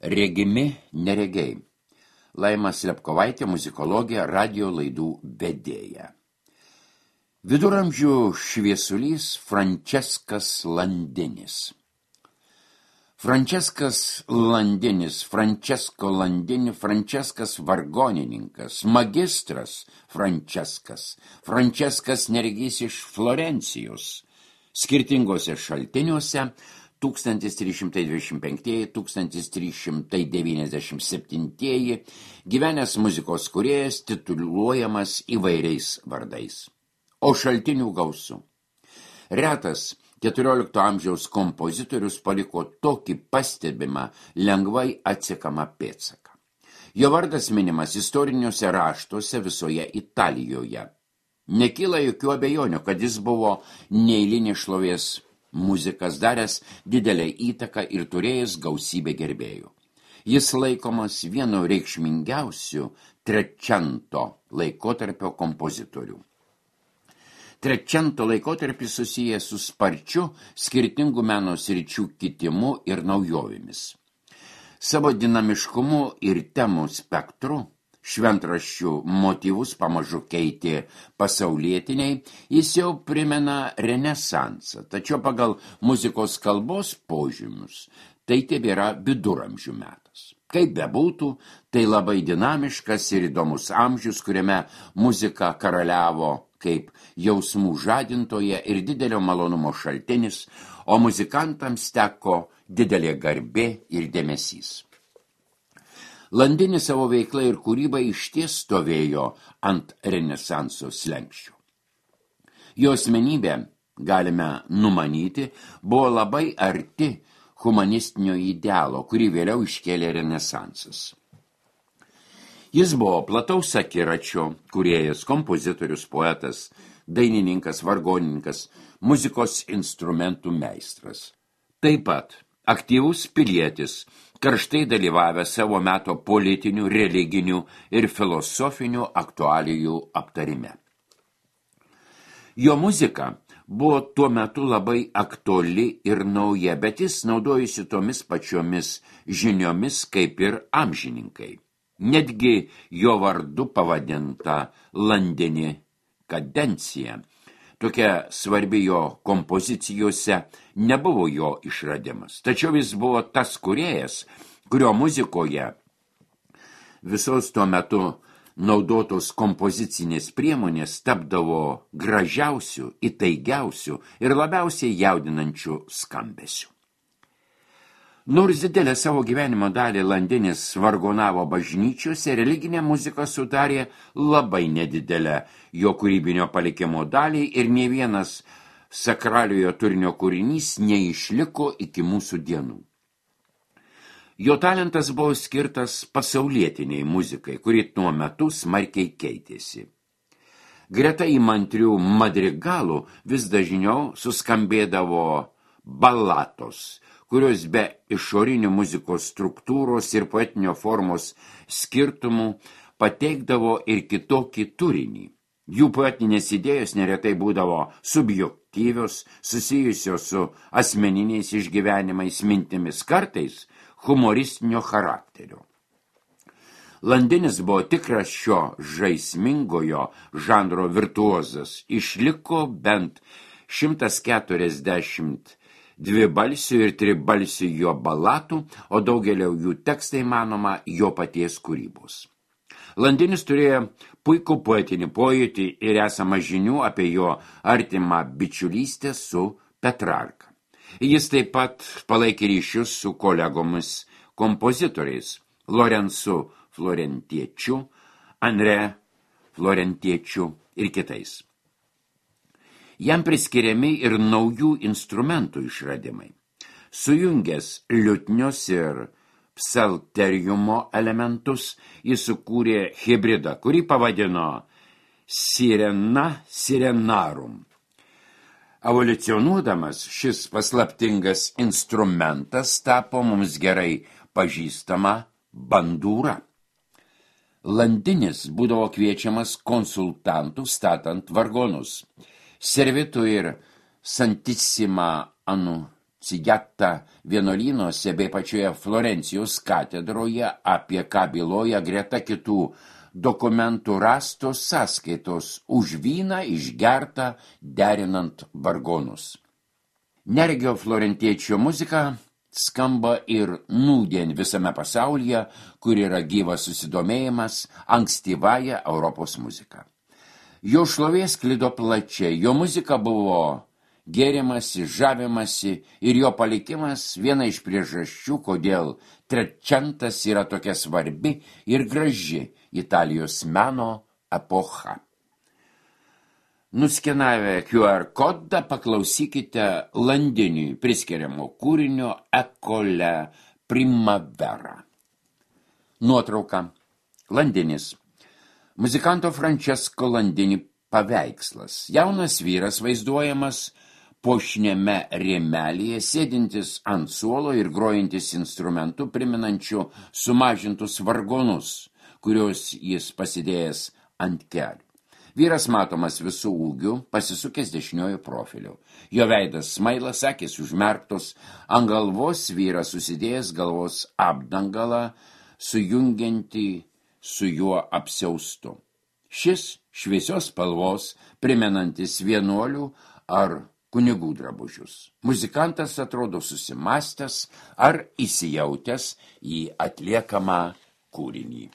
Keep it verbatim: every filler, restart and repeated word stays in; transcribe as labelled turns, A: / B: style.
A: Regimi neregiai. Laima Slepkovaitė, muzikologė, radio laidų vedėja. Viduramžių šviesulys Franceskas Landinis. Franceskas Landinis, Francesco Landini, Franceskas vargonininkas, magistras Franceskas, Franceskas neregys iš Florencijos. Skirtingose šaltiniuose tūkstantis trys šimtai dvidešimt penki - tūkstantis trys šimtai devyniasdešimt septyni gyvenęs muzikos kūrėjas tituluojamas įvairiais vardais. O šaltinių gausu. Retas keturiolikto amžiaus kompozitorius paliko tokį pastebimą, lengvai atsekamą pėdsaką. Jo vardas minimas istoriniuose raštuose visoje Italijoje. Nekyla jokių abejonių, kad jis buvo neeilinės šlovės muzikas, daręs didelę įtaką ir turėjęs gausybę gerbėjų. Jis laikomas vienu reikšmingiausių Trecento laikotarpio kompozitorių. Trecento laikotarpis susijęs su sparčiu skirtingų meno sričių kitimu ir naujovėmis. Savo dinamiškumu ir temų spektru šventraščių motyvus pamažu keitė pasaulietiniai, jis jau primena renesansą, tačiau pagal muzikos kalbos požymius tai tebėra viduramžių metas. Kaip bebūtų, tai labai dinamiškas ir įdomus amžius, kuriame muzika karaliavo kaip jausmų žadintoje ir didelio malonumo šaltinis, o muzikantams teko didelė garbė ir dėmesys. Landinis savo veiklą ir kūrybą išties stovėjo ant renesanso slenksčių. Jo asmenybė, galime numanyti, buvo labai arti humanistinio idealo, kurį vėliau iškėlė renesansas. Jis buvo plataus akiračio kūrėjas, kompozitorius, poetas, dainininkas, vargonininkas, muzikos instrumentų meistras. Taip pat aktyvus pilietis, karštai dalyvavę savo meto politinių, religinių ir filosofinių aktualijų aptarime. Jo muzika buvo tuo metu labai aktuali ir nauja, bet jis naudojasi tomis pačiomis žiniomis kaip ir amžininkai. Netgi jo vardu pavadinta Landini kadencija, tokia svarbi jo kompozicijose, nebuvo jo išradimas. Tačiau jis buvo tas kūrėjas, kurio muzikoje visos tuo metu naudotos kompozicinės priemonės tapdavo gražiausių, įtaigiausių ir labiausiai jaudinančių skambesių. Nors didelę savo gyvenimo dalį Landinis vargonavo bažnyčiose, religinė muzika sudarė labai nedidelę jo kūrybinio palikimo dalį ir nė vienas sakraliojo turinio kūrinys neišliko iki mūsų dienų. Jo talentas buvo skirtas pasaulietiniai muzikai, kuri tuo metu smarkiai keitėsi. Greta įmantrių madrigalų vis dažniau suskambėdavo balatos, kurios be išorinių muzikos struktūros ir poetinio formos skirtumų pateikdavo ir kitokį turinį. Jų poetinės idėjos neretai būdavo subjektyvios, susijusios su asmeniniais išgyvenimais, mintimis, kartais humoristinio charakterio. Landinis buvo tikras šio žaismingojo žanro virtuozas, išliko bent šimtas keturiasdešimt dvibalsių ir tribalsių jo balatų, o daugelio jų tekstai manoma jo paties kūrybos. Landinis turėjo puikų poetinį pojūtį ir esamą žinių apie jo artimą bičiulystę su Petrarka. Jis taip pat palaikė ryšius su kolegomis kompozitoriais Lorenzu Florentiečiu, André Florentiečiu ir kitais. Jam priskiriami ir naujų instrumentų išradimai. Sujungęs liutnios ir psalteriumo elementus, jis sukūrė hibridą, kurį pavadino Sirena Sirenarum. Evoliucionuodamas šis paslaptingas instrumentas tapo mums gerai pažįstama bandūra. Landinis būdavo kviečiamas konsultantų statant vargonus. Servitų ir Santissima Anu Cigetta vienuolynuose bei pačioje Florencijos katedroje, apie ką byloja greta kitų dokumentų rastos sąskaitos už vyną išgertą derinant vargonus. Neregio florentiečio muzika skamba ir nūdien visame pasaulyje, kur yra gyvas susidomėjimas ankstyvąją Europos muziką. Jo šlovė sklido plačiai, jo muzika buvo gėrimasi, žavimasi ir jo palikimas viena iš priežasčių, kodėl trečiantas yra tokia svarbi ir graži Italijos meno epocha. Nuskenavę Q R kodą paklausykite Landiniui priskiriamo kūrinio Ekole Primavera. Nuotrauka. Landinis. Muzikanto Francesco Landini paveikslas. Jaunas vyras vaizduojamas puošniame rėmelyje, sėdintis ant suolo ir grojantis instrumentu priminančiu sumažintus vargonus, kuriuos jis pasidėjęs ant kelių. Vyras matomas visų ūgių, pasisukęs dešiniojo profiliu. Jo veidas smailas, akys užmerktos, ant galvos vyras susidėjęs galvos apdangalą, sujungiantį su juo apsiaustu. Šis šviesios spalvos, primenantis vienuolių ar kunigų drabužius. Muzikantas atrodo susimastęs ar įsijautęs į atliekamą kūrinį.